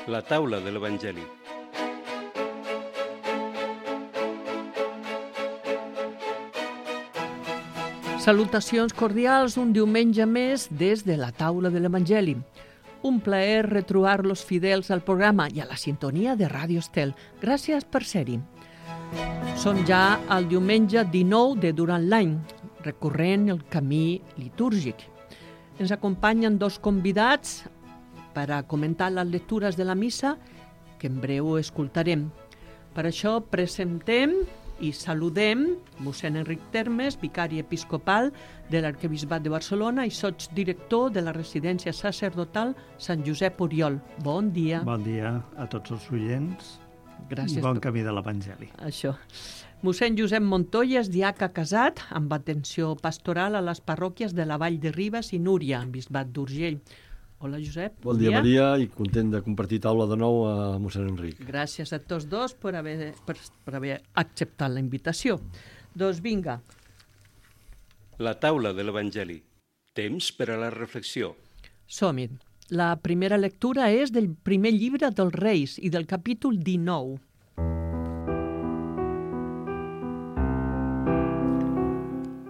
La taula de l'Evangeli. Salutacions cordials un diumenge més des de la taula de l'Evangeli. Un plaer retrobar los fidels al programa i a la sintonia de Ràdio Estel. Gràcies per ser-hi. Som ja al diumenge 19 de durant l'any, recorrent el camí litúrgic. Ens acompanyen dos convidats per a comentar les lectures de la missa que en breu escoltarem. Per això presentem i saludem mossèn Enric Termes, vicari episcopal de l'Arquebisbat de Barcelona i sots director de la residència sacerdotal Sant Josep Oriol. Bon dia. Bon dia a tots els oients. Gràcies. I bon camí de l'Evangeli. Això. Mossèn Josep Montoya és diaca casat amb atenció pastoral a les parròquies de la Vall de Ribes i Núria, en Bisbat d'Urgell. Hola, Josep. Bon dia, Maria, i content de compartir taula de nou a mossèn Enric. Gràcies a tots dos per haver acceptat la invitació. Doncs vinga. La taula de l'Evangeli. Temps per a la reflexió. Som-hi. La primera lectura és del primer llibre dels Reis i del capítol 19.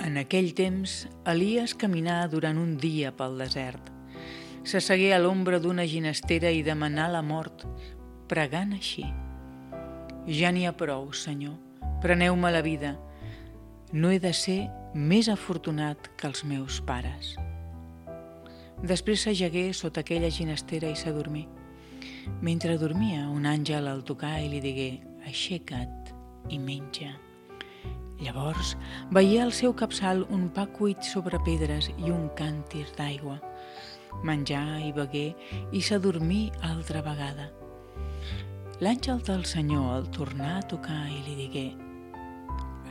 En aquell temps, Elies caminà durant un dia pel desert. S'assegué a l'ombra d'una ginestera i demanà la mort, pregant així: «Ja n'hi ha prou, Senyor, preneu-me la vida. No he de ser més afortunat que els meus pares». Després s'ajagué sota aquella ginestera i s'adormí. Mentre dormia, un àngel el tocà i li digué: «Aixeca't i menja». Llavors veié al seu capçal un pa cuit sobre pedres i un càntir d'aigua. Menjà i begué i s'adormí altra vegada. L'àngel del Senyor el tornà a tocar i li digué: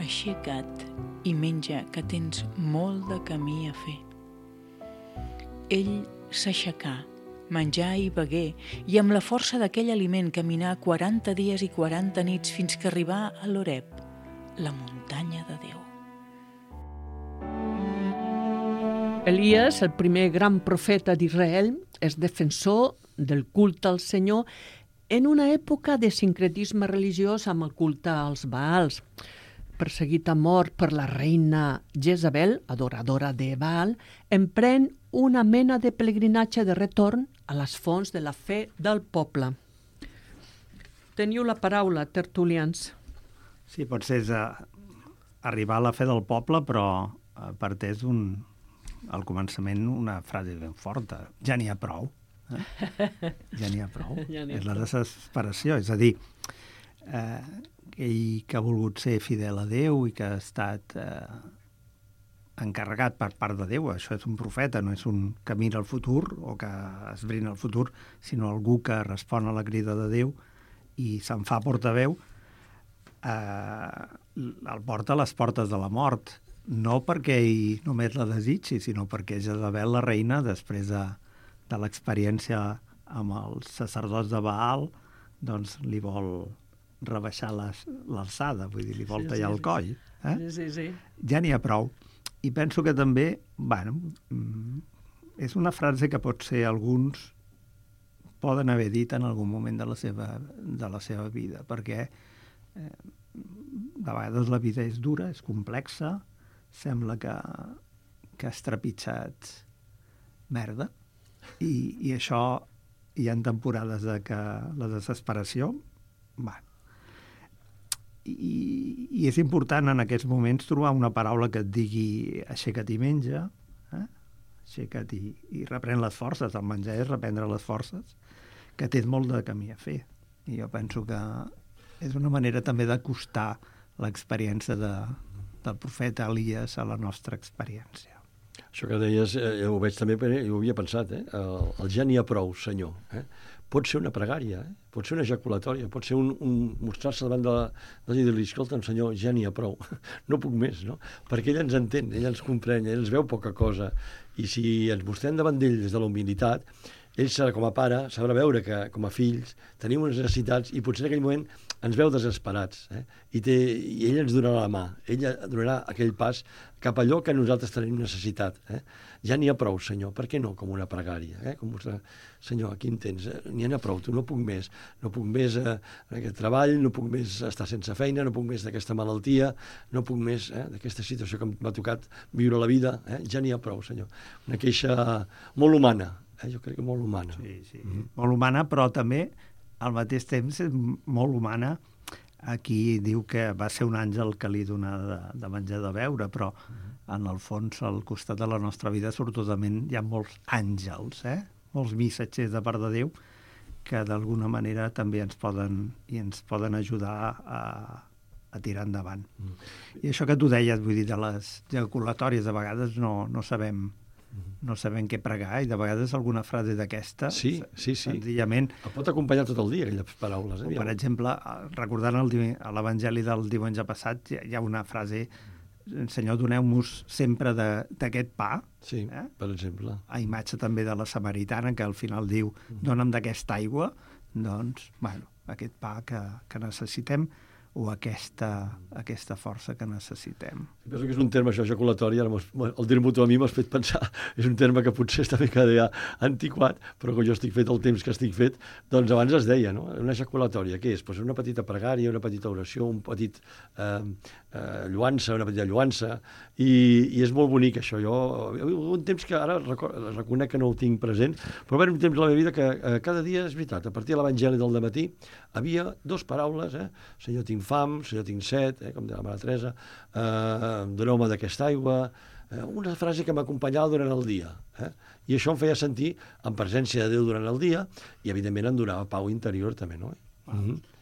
«Aixeca't i menja, que tens molt de camí a fer». Ell s'aixecà, menjà i begué, i amb la força d'aquell aliment caminà 40 dies i 40 nits fins que arribà a l'Horeb, la muntanya de Déu. Elies, el primer gran profeta d'Israel, és defensor del culte al Senyor en una època de sincretisme religiós amb el culte als Baals. Perseguit a mort per la reina Jezabel, adoradora de Baal, emprèn una mena de pelegrinatge de retorn a les fonts de la fe del poble. Teniu la paraula, tertulians. Sí, potser és arribar a la fe del poble, però parteix al començament una frase ben forta: ja n'hi ha prou. Ja n'hi ha prou. És la desesperació. És a dir, ell que ha volgut ser fidel a Déu i que ha estat encarregat per part de Déu, això és un profeta, no és un que mira el futur o que esbrina el futur, sinó algú que respon a la crida de Déu i se'n fa portaveu, el porta a les portes de la mort, no perquè ell només la desitgi, sinó perquè Jezabel, la reina, després de l'experiència amb els sacerdots de Baal, doncs li vol rebaixar l'alçada, vull dir, li vol tallar el coll. Sí. Ja n'hi ha prou. I penso que també, és una frase que potser alguns poden haver dit en algun moment de la seva vida, perquè de vegades la vida és dura, és complexa, sembla que has trepitjat merda, i això hi ha temporades de que la desesperació, i és important en aquests moments trobar una paraula que et digui aixeca't i menja, aixeca't i reprèn les forces. El menjar és reprendre les forces, que tens molt de camí a fer. I jo penso que és una manera també d'acostar l'experiència del profeta Elies a la nostra experiència. Això que deies, ho veig també, jo ho havia pensat, el ja n'hi ha prou, Senyor. Pot ser una pregària, pot ser una ejaculatòria, pot ser un mostrar-se davant de dir-li: escolta'm, Senyor, ja n'hi ha prou, no puc més, no? Perquè ell ens entén, ell ens comprèn, ell ens veu poca cosa, i si ens mostrem davant d'ell des de la humilitat, ell, com a pare, sabrà veure que, com a fills, tenim unes necessitats i potser en aquell moment ens veu desesperats, i ell ens donarà la mà, ell donarà aquell pas cap a allò que nosaltres tenim necessitat. Ja n'hi ha prou, Senyor, per què no com una pregària? Com mostrar, Senyor, aquí em tens, n'hi ha prou, tu no puc més d'aquest treball, no puc més estar sense feina, no puc més d'aquesta malaltia, no puc més d'aquesta situació que m'ha tocat viure la vida, ja n'hi ha prou, Senyor. Una queixa molt humana, jo crec que molt humana. Sí. Molt humana, però també al mateix temps és molt humana. Aquí diu que va ser un àngel que li donà de menjar de beure, però en el fons, al costat de la nostra vida, sortosament hi ha molts àngels, molts missatgers de part de Déu, que d'alguna manera també ens poden ajudar a tirar endavant. I això que tu deies, vull dir, de les ejaculatòries, de vegades no sabem què pregar, i de vegades alguna frase d'aquesta, senzillament... El pot acompanyar tot el dia, aquelles paraules. Per exemple, recordant a l'Evangeli del diumenge passat, hi ha una frase: Senyor, doneu-nos sempre d'aquest pa. Sí, per exemple. A imatge també de la samaritana, que al final diu: dona'm d'aquesta aigua. Doncs, aquest pa que necessitem, o aquesta força que necessitem. Penso que és un terme, això, ejaculatori, el dir-m'ho tu a mi m'has fet pensar, és un terme que potser està ben cada dia antiquat, però que jo estic fet el temps que estic fet, doncs abans es deia, no? Una ejaculatòria, què és? Pues una petita pregària, una petita oració, un petit lluança, una petita lluança, i és molt bonic això. Jo, un temps que ara reconec que no ho tinc present, però va haver un temps a la meva vida que cada dia, és veritat, a partir de l'Evangeli del dematí, havia dues paraules, Senyor, tinc fam, Senyor, tinc set, com deia la Mare Teresa, doneu-me d'aquesta aigua, una frase que m'acompanyava durant el dia. I això em feia sentir en presència de Déu durant el dia, i evidentment em donava pau interior també, no?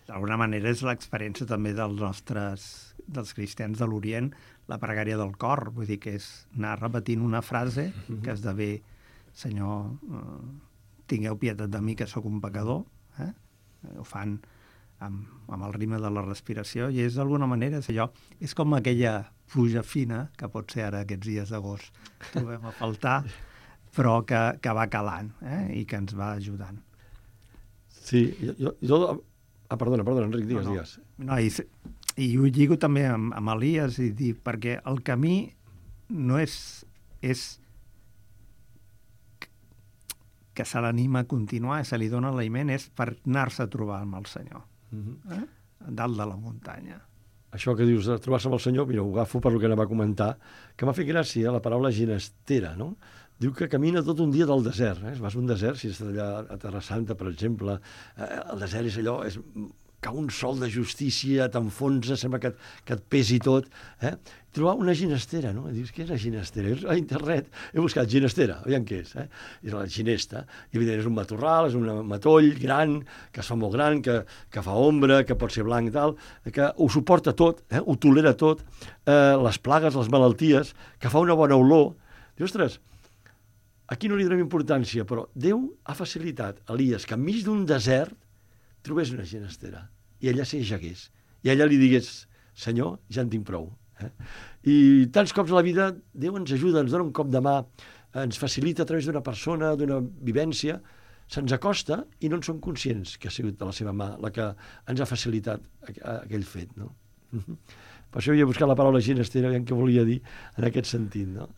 D'alguna manera és l'experiència també dels cristians de l'Orient, la pregària del cor, vull dir que és anar repetint una frase que esdevé: Senyor, tingueu pietat de mi, que sóc un pecador. Ho fan amb el ritme de la respiració, i és d'alguna manera és com aquella pluja fina que pot ser ara aquests dies d'agost trobem a faltar, però que va calant, i que ens va ajudant. Sí, perdona, Enric, digues. No, i ho lligo també amb Elies, i dic, perquè el camí no és que se l'anima a continuar, se li dona l'aliment, és per anar-se a trobar amb el Senyor, dalt de la muntanya. Això que dius de trobar-se amb el Senyor, mira, ho agafo per lo que anava a comentar, que m'ha fet gràcia la paraula ginestera, no? Diu que camina tot un dia del desert. Vas a un desert, si estàs allà a Terra Santa, per exemple, el desert és allò, cau un sol de justícia, t'enfonsa, sembla que et pesi tot. Trobar una ginestera, no? Dius, què és la ginestera? A internet he buscat ginestera, aviam què és. És la ginesta. I evidentment és un matorral, és un matoll gran, que es fa molt gran, que fa ombra, que pot ser blanc i tal, que ho suporta tot, ho tolera tot, les plagues, les malalties, que fa una bona olor. Dius, ostres, aquí no li donem importància, però Déu ha facilitat a Elies que enmig d'un desert trobés una ginestera, i allà s'hi ajagués, i allà li digués: Senyor, ja en tinc prou. I tants cops a la vida Déu ens ajuda, ens dona un cop de mà, ens facilita a través d'una persona, d'una vivència, se'ns acosta i no en som conscients que ha sigut de la seva mà la que ens ha facilitat aquell fet, no? Per això havia buscat la paraula ginestera, aviam què volia dir en aquest sentit, no?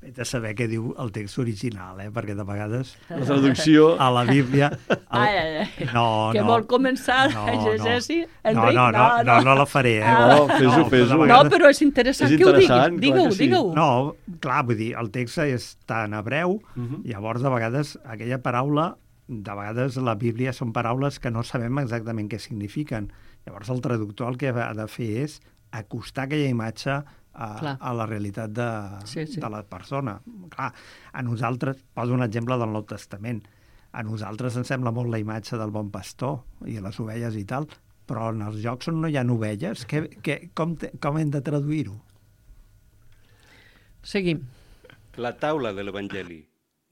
Vet a saber què diu el text original, perquè de vegades la traducció a la Bíblia... Que vol començar a llegir, Enric? No la faré, fes-ho. No, però és interessant que ho diguis. Digue-ho. No, clar, vull dir, el text està en hebreu, llavors de vegades aquella paraula, de vegades la Bíblia són paraules que no sabem exactament què signifiquen. Llavors el traductor el que ha de fer és acostar aquella imatge a la realitat de la persona. Clar, a nosaltres, poso un exemple del Nou Testament, a nosaltres ens sembla molt la imatge del bon pastor i les ovelles i tal, però en els llocs on no hi ha ovelles, com hem de traduir-ho? Seguim. La taula de l'Evangeli,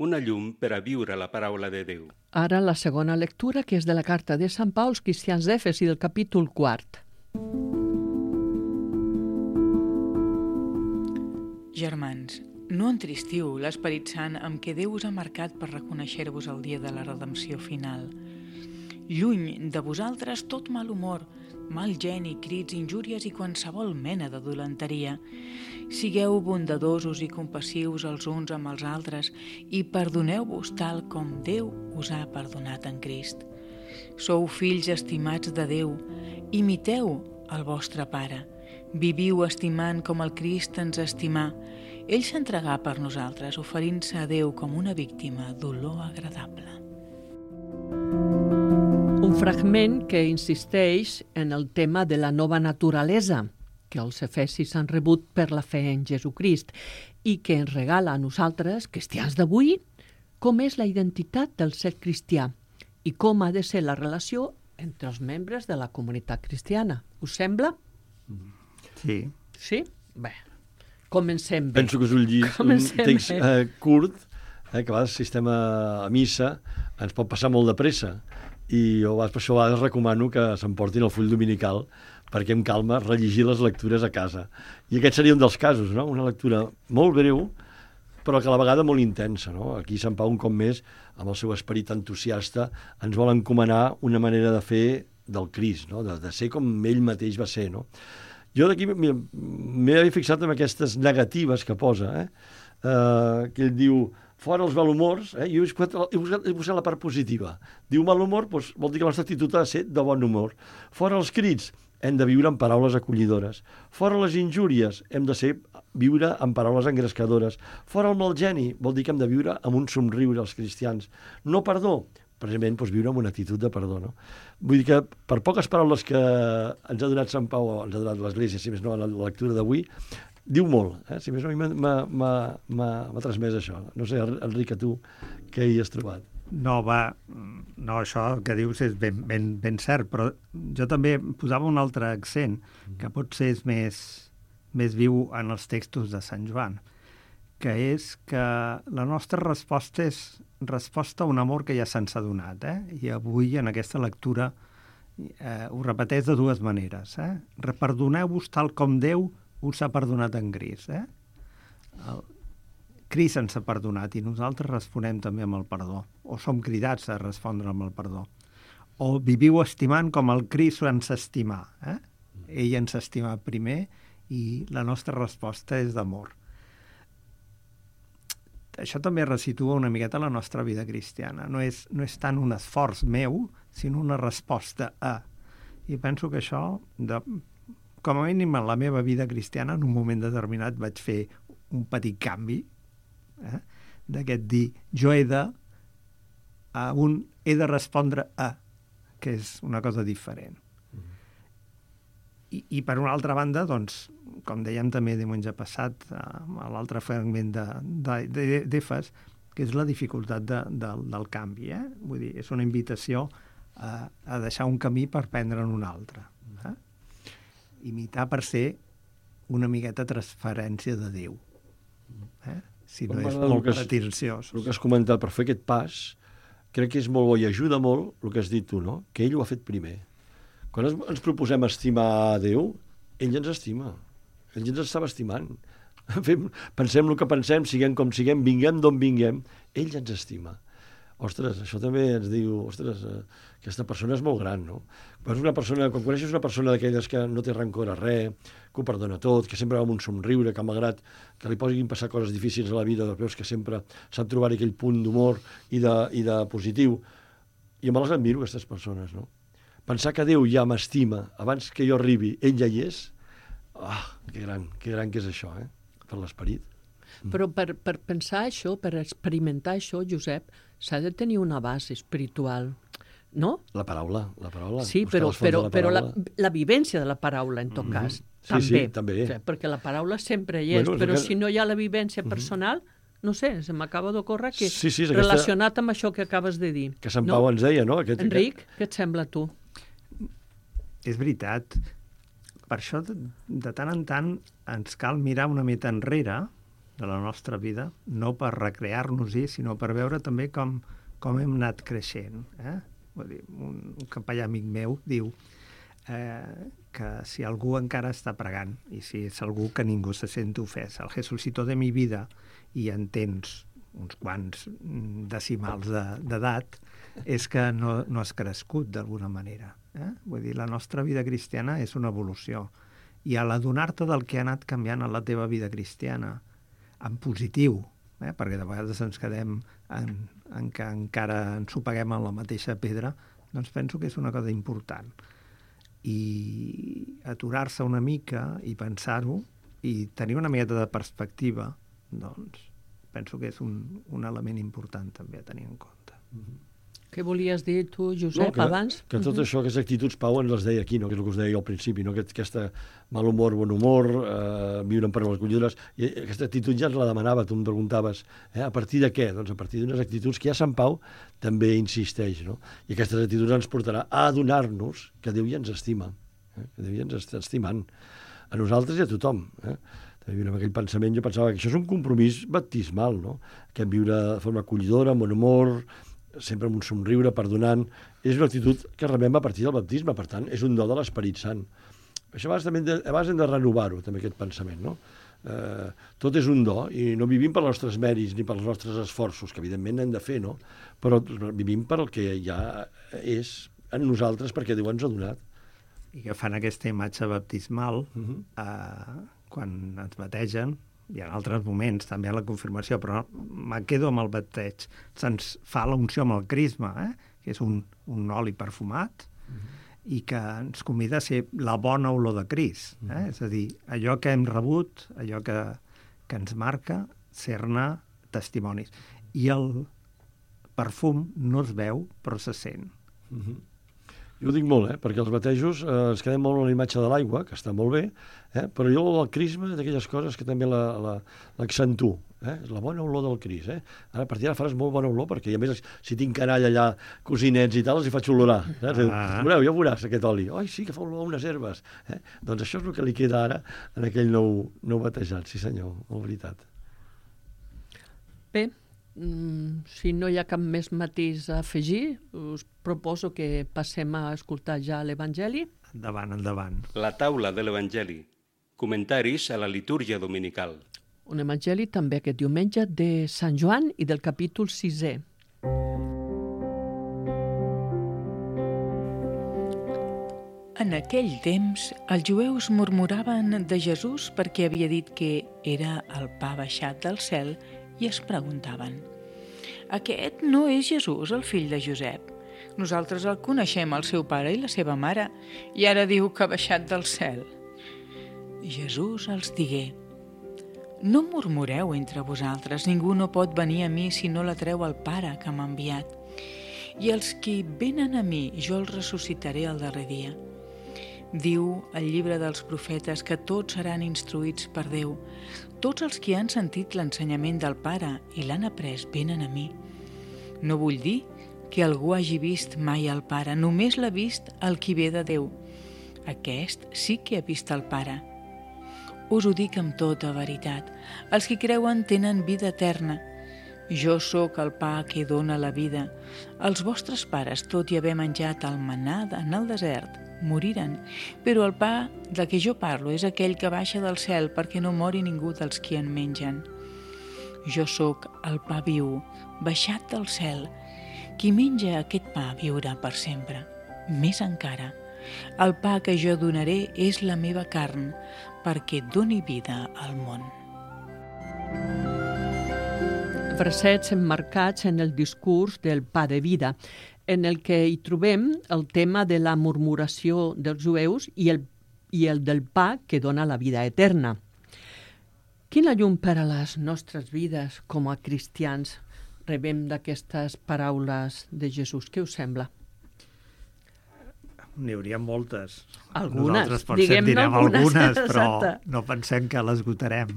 una llum per a viure la paraula de Déu. Ara la segona lectura, que és de la carta de Sant Pau als cristians d'Efes i del capítol 4. Germans, no entristiu l'Esperit Sant amb què Déu us ha marcat per reconèixer-vos el dia de la redempció final. Lluny de vosaltres tot mal humor, mal geni, crits, injúries i qualsevol mena de dolenteria. Sigueu bondadosos i compassius els uns amb els altres i perdoneu-vos tal com Déu us ha perdonat en Crist. Sou fills estimats de Déu, imiteu el vostre Pare. Viviu estimant com el Crist ens estimà. Ell s'entregà per nosaltres, oferint-se a Déu com una víctima d'olor agradable. Un fragment que insisteix en el tema de la nova naturalesa que els efesis han rebut per la fe en Jesucrist i que ens regala a nosaltres, cristians d'avui, com és la identitat del ser cristià i com ha de ser la relació entre els membres de la comunitat cristiana. Us sembla? Sí. Sí? Bé, comencem bé. Penso que és un text curt, que a vegades assistem a missa, ens pot passar molt de pressa, i jo per això a vegades recomano que s'emportin el full dominical perquè amb calma rellegir les lectures a casa. I aquest seria un dels casos, no? Una lectura molt breu, però que a la vegada molt intensa, no? Aquí Sant Pau, un cop més, amb el seu esperit entusiasta, ens vol encomanar una manera de fer del Crist, no? De ser com ell mateix va ser, no? Jo d'aquí m'he fixat en aquestes negatives que posa, que ell diu fora els malhumors, i he posat la part positiva. Diu mal humor, doncs vol dir que la nostra actitud ha de ser de bon humor. Fora els crits, hem de viure amb paraules acollidores. Fora les injúries, hem de viure amb paraules engrescadores. Fora el mal geni, vol dir que hem de viure amb un somriure els cristians. No perdó, precisament viure amb una actitud de perdó. No? Vull dir que per poques paraules que ens ha donat Sant Pau, o ens ha donat l'Església, si més no, en la lectura d'avui, diu molt. Si més no, a mi m'ha transmès això. No sé, Enric, a tu, què hi has trobat? No, això que dius és ben cert, però jo també posava un altre accent, que potser és més viu en els textos de Sant Joan, que és que la nostra resposta és resposta a un amor que ja se'ns ha donat. I avui, en aquesta lectura, ho repeteix de dues maneres. Perdoneu-vos tal com Déu us ha perdonat en Crist. Crist ens ha perdonat i nosaltres responem també amb el perdó, o som cridats a respondre amb el perdó. O viviu estimant com el Crist ens estimà. Ell ens estima primer i la nostra resposta és d'amor. Això també resitua una miqueta la nostra vida cristiana. No és tant un esforç meu, sinó una resposta a. I penso que això, com a mínim en la meva vida cristiana, en un moment determinat vaig fer un petit canvi, d'aquest dir, jo he de respondre a, que és una cosa diferent. I per una altra banda, doncs, com dèiem també diumenge passat, a l'altre fragment d'Efes, que és la dificultat del canvi. Vull dir, és una invitació a deixar un camí per prendre'n un altre. Imitar per ser una miqueta transferència de Déu. Si no és molt pretensiós. El que has comentat, per fer aquest pas, crec que és molt bo i ajuda molt el que has dit tu, no? Que ell ho ha fet primer. Quan ens proposem estimar Déu, ell ens estima. Ell ens estava estimant. Pensem el que pensem, siguem com siguem, vinguem d'on vinguem, ell ens estima. Ostres, això també ens diu, aquesta persona és molt gran, no? Quan coneixes una persona d'aquelles que no té rancor a res, que ho perdona tot, que sempre va amb un somriure, que malgrat que li posin passar coses difícils a la vida, veus que sempre sap trobar aquell punt d'humor i de positiu. I me les admiro, aquestes persones, no? Pensar que Déu ja m'estima abans que jo arribi, ell ja hi és, que gran que és això, per l'esperit. Però per pensar això, per experimentar això, Josep, s'ha de tenir una base espiritual, no? La paraula. Sí, però la vivència de la paraula, en tot cas, també. Sí, també. O sigui, perquè la paraula sempre hi és, però si no hi ha la vivència personal, no sé, se m'acaba d'ocórrer que relacionat amb això que acabes de dir. Que Sant Pau ens deia, no? Enric, què et sembla a tu? És veritat. Per això, de tant en tant, ens cal mirar una mica enrere de la nostra vida, no per recrear-nos-hi, sinó per veure també com hem anat creixent. Vull dir, un capellà amic meu diu que si algú encara està pregant, i si és algú que ningú se sent ofès, el Jesucito de mi vida, i en tens uns quants decimals d'edat, és que no has crescut d'alguna manera. Vull dir, la nostra vida cristiana és una evolució. I a l'adonar-te del que ha anat canviant en la teva vida cristiana, en positiu, perquè de vegades ens quedem en que encara ens ho paguem en la mateixa pedra, doncs penso que és una cosa important. I aturar-se una mica i pensar-ho i tenir una miqueta de perspectiva, doncs penso que és un element important també a tenir en compte. Què volies dir tu, Josep, abans? Que tot això, aquestes actituds, Pau, ens les deia aquí, no? Que és el que us deia al principi, no? Aquesta mal humor, bon humor, viure en paraules collidores, i aquesta actitud ja ens la demanava, tu em preguntaves, a partir de què? Doncs a partir d'unes actituds que ja Sant Pau també insisteix, no? I aquestes actituds ens portarà a adonar-nos que Déu ja ens estima, que Déu ja ens està estimant, a nosaltres i a tothom, També viure amb aquell pensament, jo pensava que això és un compromís baptismal, no? Que viure de forma acollidora, amb bon humor, sempre amb un somriure, perdonant, és una actitud que rebem a partir del baptisme, per tant, és un do de l'Esperit Sant. Això a vegades hem de renovar-ho, també, aquest pensament, no? Tot és un do, i no vivim per els nostres mèrits ni pels nostres esforços, que evidentment hem de fer, no? Però vivim per el que ja és en nosaltres, perquè Déu ens ha donat. I que fan aquesta imatge baptismal, quan ens bategen, i en altres moments també a la confirmació, però me quedo amb el bateig. Se'ns fa l'unció amb el crisma, que és un oli perfumat, i que ens convida a ser la bona olor de Crist. És a dir, allò que hem rebut, allò que ens marca, ser-ne testimonis. I el perfum no es veu, però se sent. Jo ho dic molt, perquè els batejos ens quedem molt en la imatge de l'aigua, que està molt bé, però jo el crisma d'aquelles coses que també l'accentuo, és la bona olor del Crist. Ara, a partir d'ara faràs molt bona olor, perquè a més, si tinc canalla allà, cosinets i tal, els hi faig olorar. Veureu, ja veuràs aquest oli. Ai, sí, que fa olor a unes herbes. Doncs això és el que li queda ara en aquell nou batejat, sí senyor, molt veritat. Bé, si no hi ha cap més matís a afegir, us proposo que passem a escoltar ja l'Evangeli. Endavant, endavant. La taula de l'Evangeli. Comentaris a la litúrgia dominical. Un evangeli també aquest diumenge de Sant Joan i del capítol 6è. En aquell temps, els jueus murmuraven de Jesús perquè havia dit que era el pa baixat del cel i es preguntaven: aquest no és Jesús, el fill de Josep? Nosaltres el coneixem, el seu pare i la seva mare, i ara diu que ha baixat del cel. Jesús els digué: no murmureu entre vosaltres, ningú no pot venir a mi si no l'atreu el Pare que m'ha enviat. I els qui venen a mi, jo els ressuscitaré el darrer dia. Diu el llibre dels profetes que tots seran instruïts per Déu. Tots els qui han sentit l'ensenyament del Pare i l'han après venen a mi. No vull dir que algú hagi vist mai el Pare, només l'ha vist el qui ve de Déu. Aquest sí que ha vist el Pare. Us ho dic amb tota veritat. Els qui creuen tenen vida eterna. Jo sóc el pa que dóna la vida. Els vostres pares, tot i haver menjat el manà en el desert, moriren, però el pa de què jo parlo és aquell que baixa del cel perquè no mori ningú dels qui en mengen. Jo sóc el pa viu, baixat del cel. Qui menja aquest pa viurà per sempre. Més encara, el pa que jo donaré és la meva carn, perquè doni vida al món. Versets emmarcats en el discurs del pa de vida, en el que hi trobem el tema de la murmuració dels jueus i el del pa que dona la vida eterna. Quina llum per a les nostres vides com a cristians rebem d'aquestes paraules de Jesús? Què us sembla? N'hi hauria moltes. Algunes, nosaltres potser diguem-ne direm algunes, però exacte. no pensem que l'esgotarem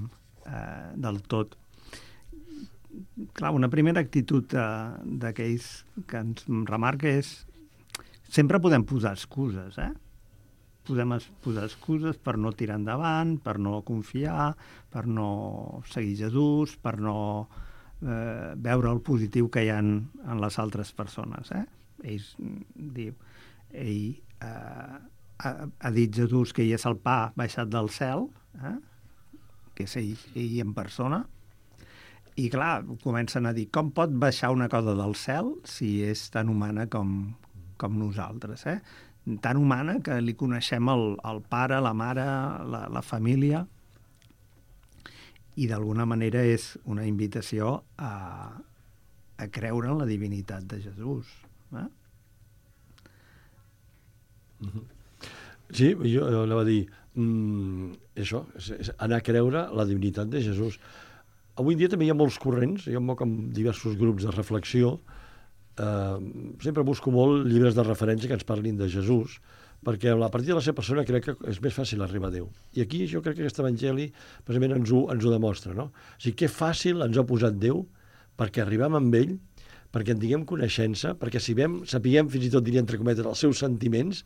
del tot. Clar, una primera actitud d'aquells que ens remarca és sempre podem posar excuses, Podem posar excuses per no tirar endavant, per no confiar, per no seguir Jesús, per no veure el positiu que hi ha en les altres persones, Ell ha dit Jesús que ell és el pa baixat del cel, que és ell en persona, I clar, comencen a dir, com pot baixar una cosa del cel si és tan humana com nosaltres, eh? Tan humana que li coneixem el pare, la mare, la família, i d'alguna manera és una invitació a creure en la divinitat de Jesús. Eh? Sí, jo anava a dir això, és anar a creure la divinitat de Jesús. Avui en dia també hi ha molts corrents, jo em moc amb diversos grups de reflexió, sempre busco molt llibres de referència que ens parlin de Jesús, perquè a partir de la seva persona crec que és més fàcil arribar a Déu. I aquí jo crec que aquest evangeli precisament ens ho demostra, no? O sigui, que fàcil ens ha posat Déu perquè arribem amb ell, perquè en tinguem coneixença, perquè sapiguem fins i tot, diria entre cometes, els seus sentiments,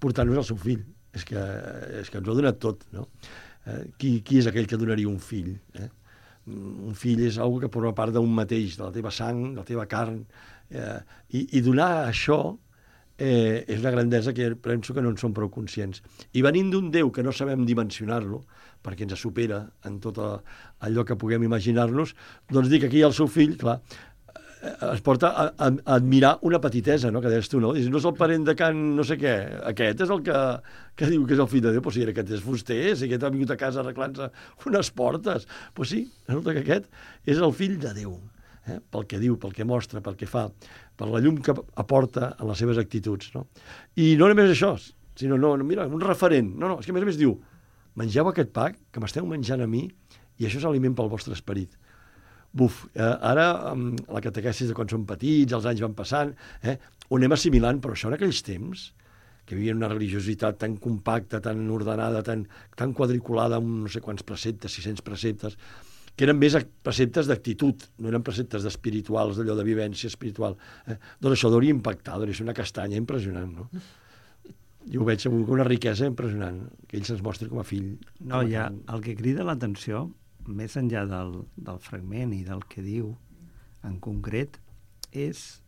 portant-nos al seu fill. És que ens ho ha donat tot, no? Qui és aquell que donaria un fill? Un fill és algo que forma part d'un mateix, de la teva sang, de la teva carn, i donar això és una grandesa que penso que no en som prou conscients. I venint d'un Déu que no sabem dimensionar-lo, perquè ens supera en tot allò que puguem imaginar-nos, doncs dir que aquí el seu fill, clar, es porta a admirar una petitesa, no?, que deies tu, no? Dius, no és el parent de Can no sé què, aquest és el que diu que és el fill de Déu, però si aquest és fuster, si aquest ha vingut a casa arreglant-se unes portes, doncs sí, resulta que aquest és el fill de Déu, pel que diu, pel que mostra, pel que fa, per la llum que aporta en les seves actituds, no? I no només això, sinó, mira, un referent, és que a més diu, mengeu aquest pa que m'esteu menjant a mi i això és aliment pel vostre esperit. Buf, ara la catequesis de quan som petits, els anys van passant, ho anem assimilant, però això en aquells temps, que vivien una religiositat tan compacta, tan ordenada, tan quadriculada, amb no sé quants preceptes, 600 preceptes, que eren més preceptes d'actitud, no eren preceptes d'espirituals, d'allò de vivència espiritual. Doncs això hauria impactar, hauria ser una castanya impressionant, no? Jo ho veig amb una riquesa impressionant, que ell se'ns mostri com a fill. No, ja, el que crida l'atenció, més enllà del fragment i del que diu en concret, és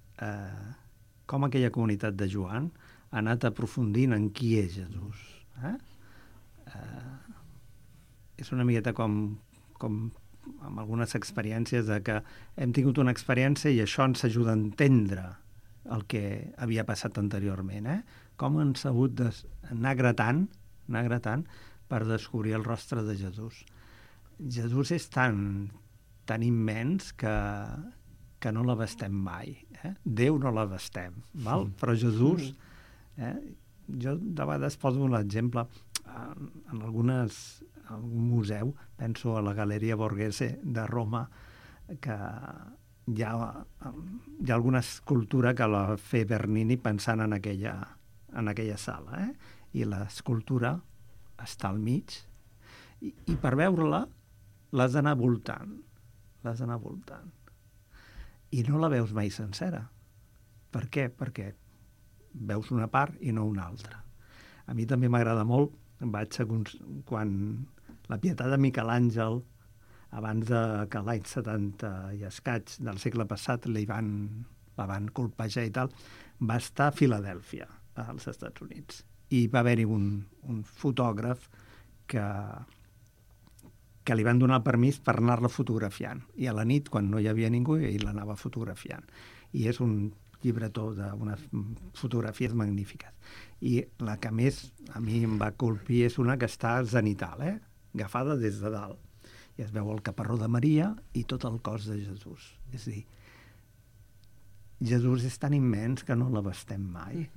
com aquella comunitat de Joan ha anat aprofundint en qui és Jesús. És una miqueta com amb algunes experiències de que hem tingut una experiència i això ens ajuda a entendre el que havia passat anteriorment. Com han sabut anar gratant per descobrir el rostre de Jesús. Jesús és tan immens que no l'abastem mai. Déu no l'abastem, val? Però Jesús, jo de vegades poso l'exemple en algun museu, penso a la Galeria Borghese de Roma, que hi ha alguna escultura que la fa Bernini pensant en aquella sala, i l'escultura està al mig, i per veure-la l'has d'anar voltant. I no la veus mai sencera. Per què? Perquè veus una part i no una altra. A mi també m'agrada molt, quan la Pietat de Miquel Àngel, abans que l'any 70 i escaig del segle passat la van colpejar i tal, va estar a Filadèlfia, als Estats Units. I va haver-hi un fotògraf que li van donar el permís per anar-la fotografiant. I a la nit, quan no hi havia ningú, ell l'anava fotografiant. I és un llibretó d'unes fotografies magnífiques. I la que més a mi em va colpir és una que està zenital, agafada des de dalt. I es veu el caparró de Maria i tot el cos de Jesús. És a dir, Jesús és tan immens que no l'abastem mai.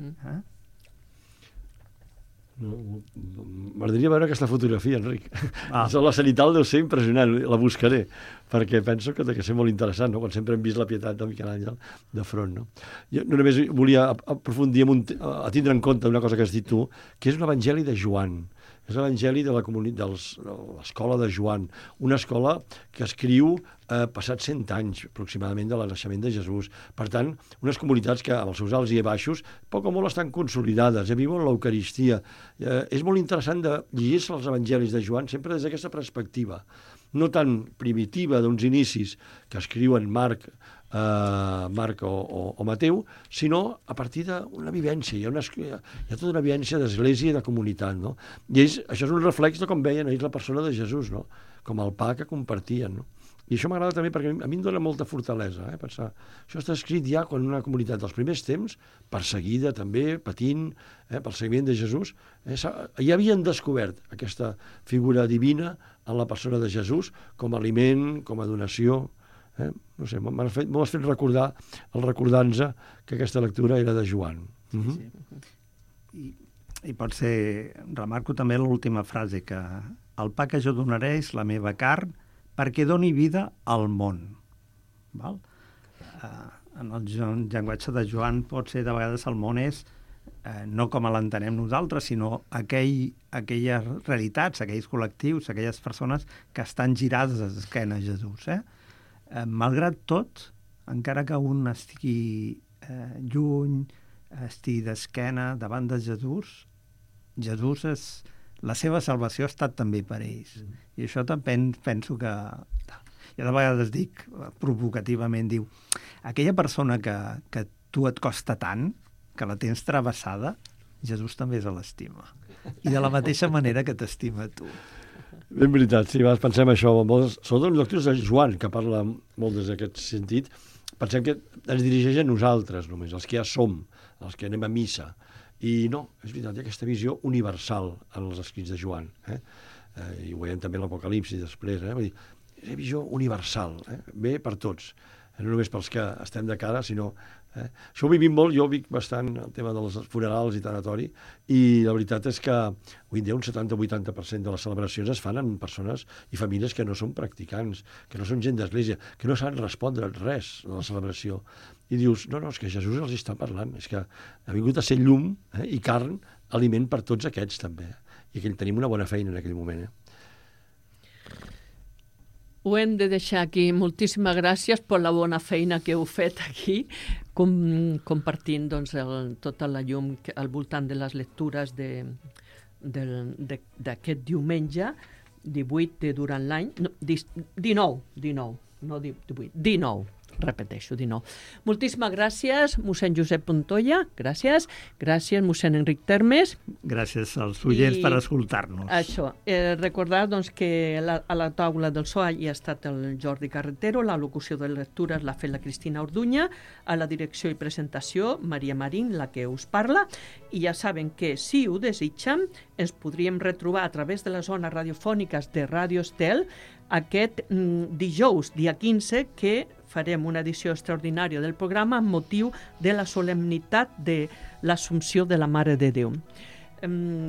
M'agradaria veure aquesta fotografia, Enric. La zenital deu ser impressionant, la buscaré, perquè penso que ha de ser molt interessant, no? Quan sempre hem vist la Pietat de Miquel Àngel de front. No? Jo no només volia aprofundir a tindre en compte una cosa que has dit tu, que és un evangeli de Joan. És l'evangeli de l'escola de Joan, una escola que escriu passats 100 anys, aproximadament, de naixement de Jesús. Per tant, unes comunitats que, amb els seus alts i baixos, poc o molt estan consolidades, viuen l'Eucaristia. És molt interessant de llegir-se els evangelis de Joan sempre des d'aquesta perspectiva, no tan primitiva d'uns inicis que escriuen Marc o Mateu, sinó a partir d'una vivència. Hi ha tota una vivència d'església i de comunitat, no? I això és un reflex de com veien ells la persona de Jesús, no? Com el pa que compartien, no? I això m'agrada també perquè a mi em dona molta fortalesa, pensar. Això està escrit ja quan una comunitat dels primers temps, perseguida també, patint, pel seguiment de Jesús, ja havien descobert aquesta figura divina en la persona de Jesús com a aliment, com a donació. No sé, m'ho has fet recordar, recordant-nos que aquesta lectura era de Joan. I pot ser, remarco també l'última frase, que el pa que jo donaré és la meva carn perquè doni vida al món. Val? En el llenguatge de Joan pot ser, de vegades, el món és no com l'entenem nosaltres, sinó aquelles realitats, aquells col·lectius, aquelles persones que estan girades d'esquena a Jesús. Malgrat tot, encara que un estigui lluny, estigui d'esquena davant de Jesús, la seva salvació ha estat també per ells. I això també penso que... Jo de vegades dic, provocativament, diu, aquella persona que tu et costa tant, que la tens travessada, Jesús també se l'estima. I de la mateixa manera que t'estima tu. Ben veritat, sí, pensem això. Sobretot en lectures de Joan, que parla molt des d'aquest sentit, pensem que ens dirigeix a nosaltres només, els que ja som, els que anem a missa. I no, és veritat, hi ha aquesta visió universal en els escrits de Joan. I ho veiem també a l'Apocalipsi després. Vull dir, és una visió universal, bé per tots. No només pels que estem de cara, sinó... Això ho vivim molt, jo vic bastant el tema dels funerals i tanatori, i la veritat és que avui en dia un 70-80% de les celebracions es fan amb persones i famílies que no són practicants, que no són gent d'església, que no saben respondre res de la celebració. I dius, no, és que Jesús els està parlant, és que ha vingut a ser llum i carn, aliment per tots aquests també. I que tenim una bona feina en aquell moment. Ho hem de deixar aquí. Moltíssimes gràcies per la bona feina que heu fet aquí, compartint tota la llum al voltant de les lectures d'aquest diumenge, 18 de durant l'any, 19, no 18, 19. Repeteixo, 19. Moltíssimes gràcies, mossèn Josep Montoya, gràcies mossèn Enric Termes. Gràcies als oients per escoltar-nos. Això, recordar que a la taula del so hi ha estat el Jordi Carretero, la locució de lectures l'ha fet la Cristina Orduña, a la direcció i presentació Maria Marín, la que us parla, i ja saben que si ho desitgen ens podríem retrobar a través de les zones radiofòniques de Ràdio Estel aquest dijous, dia 15, que farem una edició extraordinària del programa amb motiu de la solemnitat de l'Assumpció de la Mare de Déu.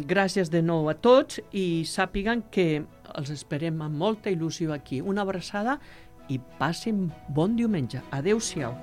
Gràcies de nou a tots i sàpiguen que els esperem amb molta il·lusió aquí. Una abraçada i passin bon diumenge. Adéu-siau.